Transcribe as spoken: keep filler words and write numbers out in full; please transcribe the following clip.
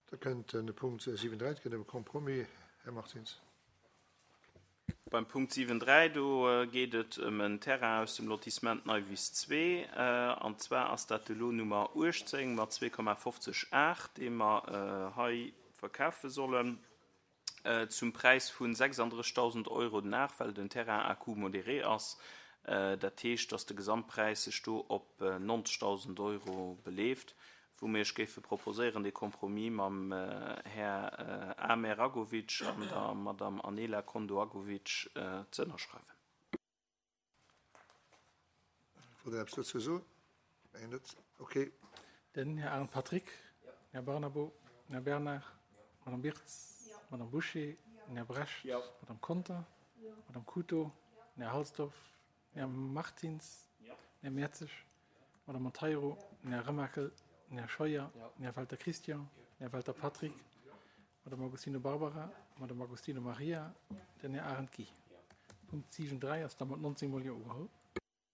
Da kënnt den Punkt siwen dräi, et geet ëm e Compromis. Här Martins. Beim Punkt siwen dräi, do geet et ëm en Terrain aus dem Lotissement Neiwiss zwee, an zwar ass dat de Lot Nummer uechtzéng mat zwee Komma fofzeg aacht, dee mer hei verkafe sollen zum Präis vu sechsanddrëssigtausend Euro den Ar, well den Terrain à coût modéré ass. Dat heescht, dass de Gesamtpräis sech do op neunzigtausend Euro beleeft, wou mir iech géife proposéieren, de Compromis mam Här Amer Agovic an der Madame Anela Kondo-Agovic ze ënnerschreiwen. Wollt Der eppes dozou soen? Mengen net. Okay. Den Här Arendt Patrick, den Här Barnabo, den Här Bernard, d'Madame Birtz, d'Madame Bouché, den Här Brecht, d'Madame Conter, d'Madame Couto, den Här Halsdorf, den Här Martins, den Här Mertzig, d'Madame Monteiro, den Här Remakel, den Här Scheuer, den Här Welter Christian, den Här Welter Patrick, d'Madame Agostino Barbara, d'Madame Agostino Maria, den Här Arendt Guy. Punkt siwen dräi ass da mat neunzehn Mol Jo ugeholl.